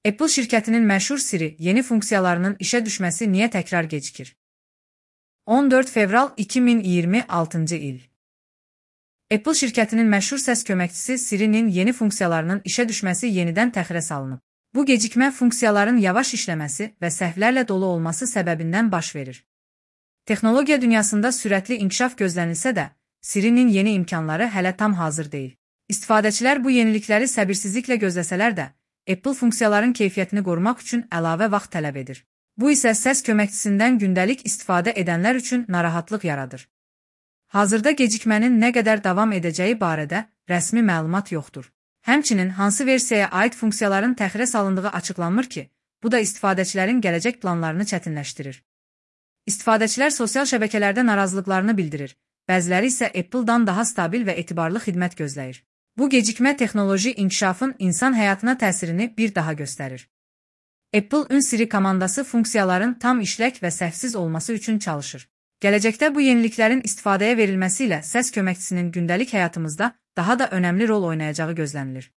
Apple şirkətinin məşhur Siri yeni funksiyalarının işə düşməsi niyə təkrar gecikir? 14 fevral 2026 il. Apple şirkətinin məşhur səs köməkçisi Siri'nin yeni funksiyalarının işə düşməsi yenidən təxirə salınıb. Bu gecikmə funksiyaların yavaş işləməsi və səhvlərlə dolu olması səbəbindən baş verir. Texnologiya dünyasında sürətli inkişaf gözlənilsə də, Siri'nin yeni imkanları hələ tam hazır deyil. İstifadəçilər bu yenilikləri səbirsizliklə gözləsələr də, Apple funksiyaların keyfiyyətini qorumaq üçün əlavə vaxt tələb edir. Bu isə səs köməkçisindən gündəlik istifadə edənlər üçün narahatlıq yaradır. Hazırda gecikmənin nə qədər davam edəcəyi barədə rəsmi məlumat yoxdur. Həmçinin hansı versiyaya aid funksiyaların təxirə salındığı açıqlanmır ki, bu da istifadəçilərin gələcək planlarını çətinləşdirir. İstifadəçilər sosial şəbəkələrdə narazılıqlarını bildirir, bəziləri isə Apple-dan daha stabil və etibarlı xidmət gözləyir. Bu gecikmə texnoloji inkişafın insan həyatına təsirini bir daha göstərir. Apple Siri komandası funksiyaların tam işlək və səhvsiz olması üçün çalışır. Gələcəkdə bu yeniliklərin istifadəyə verilməsi ilə səs köməkçisinin gündəlik həyatımızda daha da önəmli rol oynayacağı gözlənilir.